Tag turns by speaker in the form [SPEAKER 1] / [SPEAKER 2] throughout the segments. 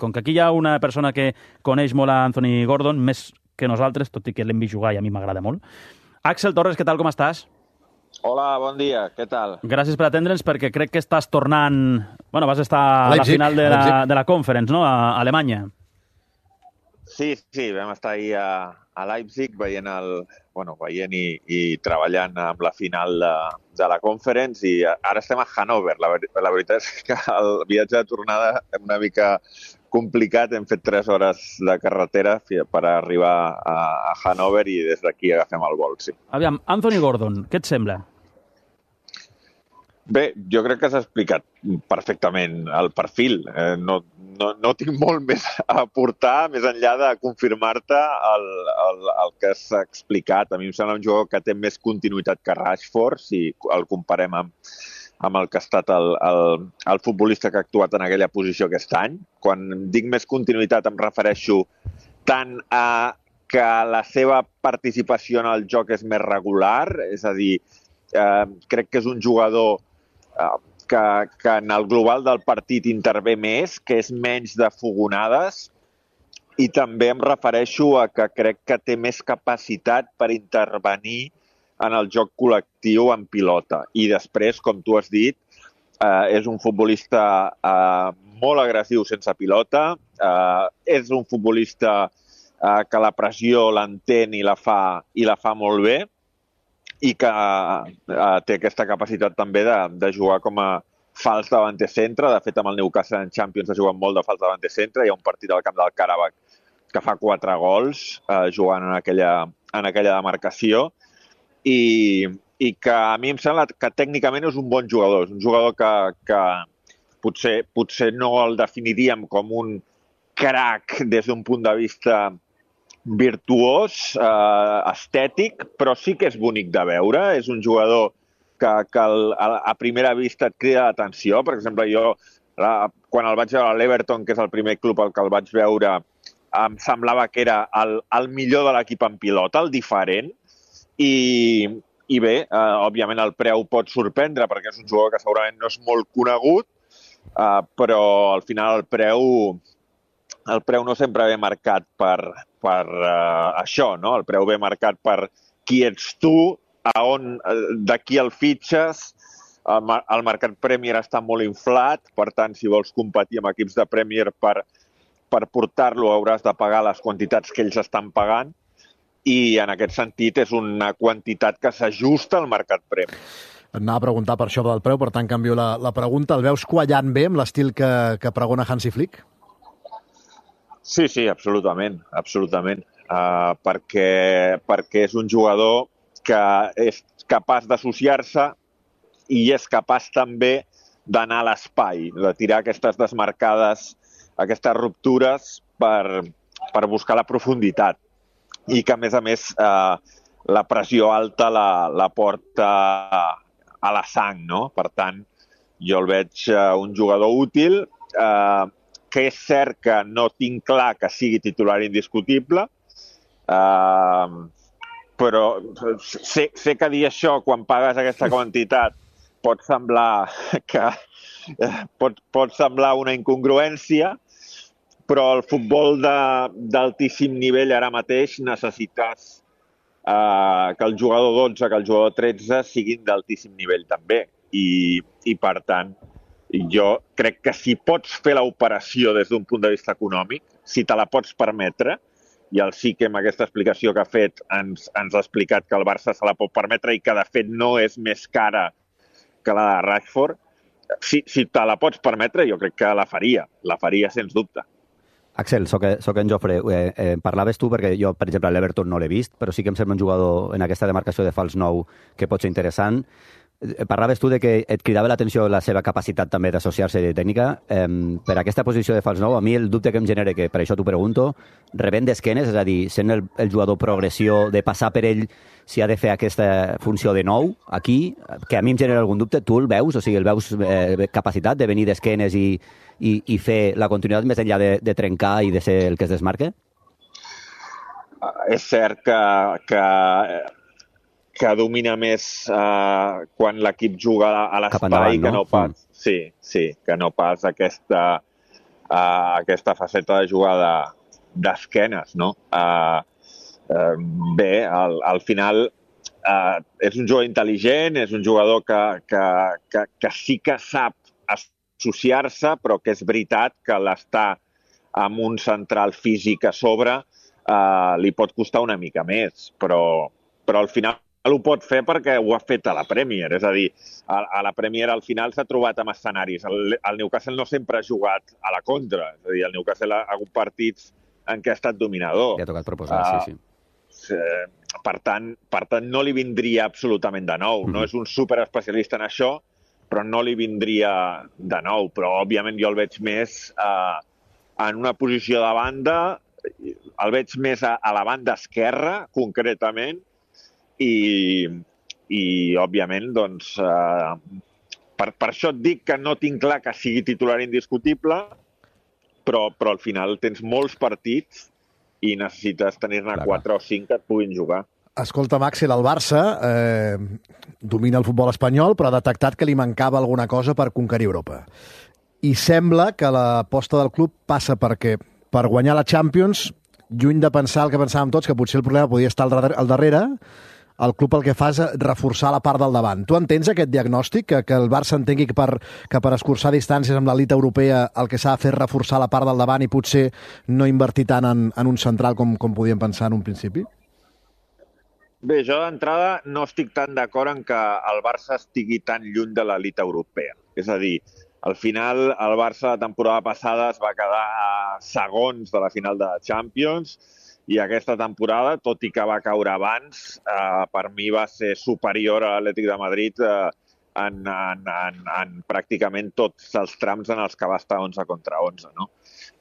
[SPEAKER 1] com que aquí hi ha una persona que coneix molt a Anthony Gordon, més que nosaltres, tot i que l'hem vist jugar i a mi m'agrada molt. Axel Torres, què tal, com estàs?
[SPEAKER 2] Hola, bon dia, què tal?
[SPEAKER 1] Gràcies per atendre'ns, perquè crec que estàs tornant... Bueno, vas estar a la final de la Conference, no?, a Alemanya.
[SPEAKER 2] Sí, vam estar ahir a Leipzig veient i treballant amb la final de la Conference, i ara estem a Hannover. La veritat és que el viatge de tornada és una mica complicat. Hem fet 3 hores de carretera per arribar a Hannover i des d'aquí agafem el vol, sí.
[SPEAKER 1] Aviam, Anthony Gordon, què et sembla?
[SPEAKER 2] Bé, jo crec que s'ha explicat perfectament el perfil. No tinc molt més a aportar, més enllà de confirmar-te el que s'ha explicat. A mi em sembla un jugador que té més continuïtat que Rashford, si el comparem amb el que ha estat el futbolista que ha actuat en aquella posició aquest any. Quan dic més continuïtat em refereixo tant a que la seva participació en el joc és més regular, és a dir, crec que és un jugador que en el global del partit intervé més, que és menys de fogonades, i també em refereixo a que crec que té més capacitat per intervenir en el joc col·lectiu en pilota. I després, com tu has dit, és un futbolista molt agressiu sense pilota, és un futbolista que la pressió l'entén i la fa molt bé, i que té aquesta capacitat també de jugar com a fals davanter centre. De fet, amb el Newcastle en Champions ha jugat molt de fals davanter centre. Hi ha un partit al camp del Karabakh que fa 4 gols jugant en aquella demarcació, i que a mi em sembla que tècnicament és un bon jugador. És un jugador que potser no el definiríem com un crac des d'un punt de vista virtuós, estètic, però sí que és bonic de veure. És un jugador que a primera vista et crida l'atenció. Per exemple, jo, quan el vaig veure a l'Everton, que és el primer club al que el vaig veure, em semblava que era el millor de l'equip en pilota, el diferent. I bé, òbviament el preu pot sorprendre, perquè és un jugador que segurament no és molt conegut, però al final el preu no sempre ve marcat per això, no? El preu ve marcat per qui ets tu, d'aquí el fitxes. El mercat Premier està molt inflat, per tant, si vols competir amb equips de Premier per portar-lo hauràs de pagar les quantitats que ells estan pagant, i en aquest sentit és una quantitat que s'ajusta al mercat Premier.
[SPEAKER 3] Et anava a preguntar per això del preu, per tant canvio la pregunta. El veus quallant bé amb l'estil que pregona Hansi Flick?
[SPEAKER 2] Sí, absolutament. Perquè és un jugador que és capaç d'associar-se i és capaç també d'anar a l'espai, de tirar aquestes desmarcades, aquestes ruptures per buscar la profunditat. I que, a més, la pressió alta la porta a la sang, no? Per tant, jo el veig un jugador útil, que és cert que no tinc clar que sigui titular indiscutible, però sé que dir això quan pagues aquesta quantitat pot semblar una incongruència, però el futbol d'altíssim nivell ara mateix necessites que el jugador 12, que el jugador 13 siguin d'altíssim nivell també. I per tant, jo crec que si pots fer l'operació des d'un punt de vista econòmic, si te la pots permetre, i el Sique amb aquesta explicació que ha fet ens ha explicat que el Barça se la pot permetre i que de fet no és més cara que la de Rashford, si te la pots permetre jo crec que la faria sens dubte.
[SPEAKER 4] Axel, soc en Jofre. Parlaves tu, perquè jo, per exemple, l'Everton no l'he vist, però sí que em sembla un jugador en aquesta demarcació de fals nou que pot ser interessant. Parlaves tu de que et cridava l'atenció la seva capacitat també d'associar-se de tècnica. Per aquesta posició de fals nou, a mi el dubte que em genera, que per això t'ho pregunto, rebent d'esquenes, és a dir, sent el jugador progressió, de passar per ell si ha de fer aquesta funció de nou, aquí, que a mi em genera algun dubte, tu el veus? O sigui, el veus capacitat de venir d'esquenes i fer la continuïtat més enllà de trencar i de ser el que es desmarque?
[SPEAKER 2] És cert que domina més quan l'equip juga a l'espai que no pas, que no pas aquesta faceta de jugar d'esquenes, no? Bé, al final és un jugador intel·ligent, és un jugador que sí que sap associar-se, però que és veritat que l'estar amb un central físic a sobre li pot costar una mica més, però al final ho pot fer perquè ho ha fet a la Premier. És a dir, a la Premier al final s'ha trobat amb escenaris. El Newcastle no sempre ha jugat a la contra. És a dir, el Newcastle ha hagut partits en què ha estat dominador.
[SPEAKER 4] Li ha tocat proposar, sí.
[SPEAKER 2] Per tant, no li vindria absolutament de nou. No és un superespecialista en això, però no li vindria de nou. Però, òbviament, jo el veig més en una posició de banda, el veig més a la banda esquerra, concretament, i òbviament, doncs, per això et dic que no tinc clar que sigui titular indiscutible, però al final tens molts partits i necessites tenir-ne 4 o 5 que et puguin jugar.
[SPEAKER 3] Escolta, Axel, el Barça domina el futbol espanyol, però ha detectat que li mancava alguna cosa per conquerir Europa. I sembla que l'aposta del club passa perquè per guanyar la Champions, lluny de pensar el que pensàvem tots, que potser el problema podia estar al darrere, el club el que fa és reforçar la part del davant. Tu entens aquest diagnòstic, que el Barça entengui que per escurçar distàncies amb l'elit europea el que s'ha de fer és reforçar la part del davant i potser no invertir tant en un central com podíem pensar en un principi?
[SPEAKER 2] Bé, jo d'entrada no estic tan d'acord en que el Barça estigui tan lluny de l'elit europea. És a dir, al final el Barça la temporada passada es va quedar a segons de la final de la Champions i aquesta temporada, tot i que va caure abans, per mi va ser superior a l'Atlètic de Madrid en pràcticament tots els trams en els que va estar 11 contra 11. No?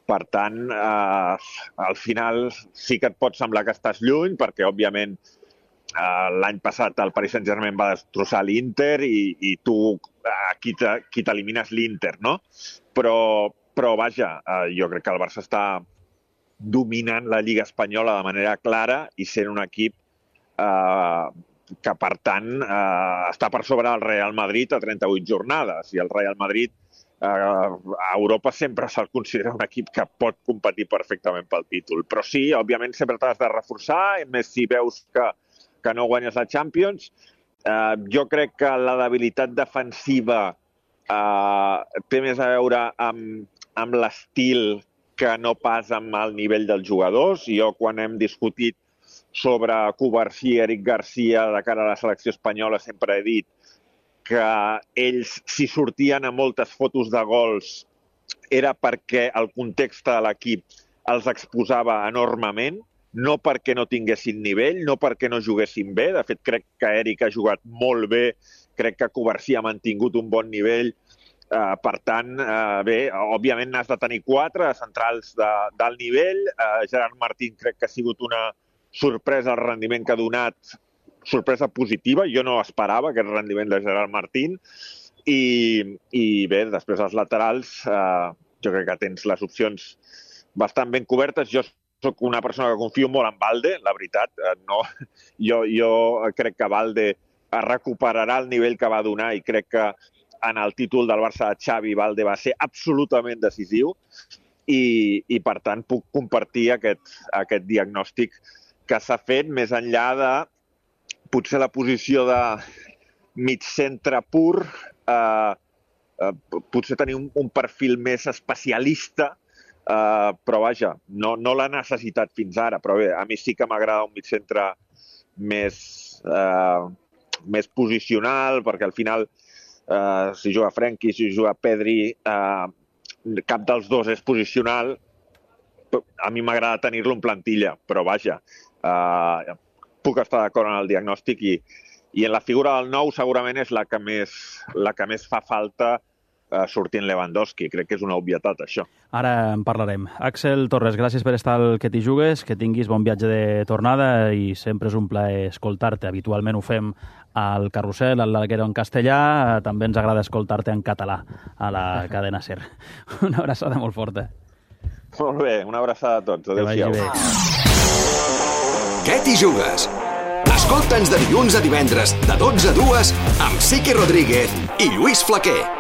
[SPEAKER 2] Per tant, al final sí que et pot semblar que estàs lluny, perquè, òbviament, l'any passat el Paris Saint-Germain va destrossar l'Inter i tu aquí t'elimines l'Inter, no? Però vaja, jo crec que el Barça està dominant la Lliga Espanyola de manera clara i sent un equip que, per tant, està per sobre del Real Madrid a 38 jornades. I el Real Madrid a Europa sempre se'l considera un equip que pot competir perfectament pel títol. Però sí, òbviament, sempre t'has de reforçar, més si veus que no guanyes la Champions. Jo crec que la debilitat defensiva té més a veure amb l'estil que no pas amb el nivell dels jugadors. Jo, quan hem discutit sobre Cubarsí i Eric Garcia de cara a la selecció espanyola, sempre he dit que ells, si sortien a moltes fotos de gols, era perquè el context de l'equip els exposava enormement, no perquè no tinguessin nivell, no perquè no juguessin bé. De fet, crec que Eric ha jugat molt bé, crec que Cubarsí ha mantingut un bon nivell. Per tant, bé, òbviament n'has de tenir 4 centrals d'alt nivell. Gerard Martín crec que ha sigut una sorpresa el rendiment que ha donat, sorpresa positiva. Jo no esperava aquest rendiment de Gerard Martín. I bé, després els laterals, jo crec que tens les opcions bastant ben cobertes. Jo soc una persona que confio molt en Balde, la veritat. Jo crec que Balde recuperarà el nivell que va donar i crec que en el títol del Barça de Xavi, Balde va ser absolutament decisiu i per tant, puc compartir aquest diagnòstic que s'ha fet més enllà de potser la posició de mig centre pur, potser tenir un perfil més especialista, però vaja, no l'ha necessitat fins ara. Però bé, a mi sí que m'agrada un mig centre més posicional, perquè al final si juga Frenkie, si juga Pedri, cap dels dos és posicional. A mi m'agrada tenir-lo en plantilla, però vaja, puc estar d'acord en el diagnòstic i en la figura del nou segurament és la que més fa falta sortint Lewandowski. Crec que és una obvietat, això.
[SPEAKER 1] Ara en parlarem. Axel Torres, gràcies per estar al Que t'hi jugues, que tinguis bon viatge de tornada i sempre és un plaer escoltar-te. Habitualment ho fem al Carrusel, al Larguero en castellà, també ens agrada escoltar-te en català a la cadena SER. Una abraçada molt forta.
[SPEAKER 2] Molt bé, una abraçada a tots. Adéu-siau.
[SPEAKER 5] Què t'hi jugues? Escolta'ns de dilluns a divendres, de 12 a 2, amb Sique Rodríguez i Lluís Flaquer.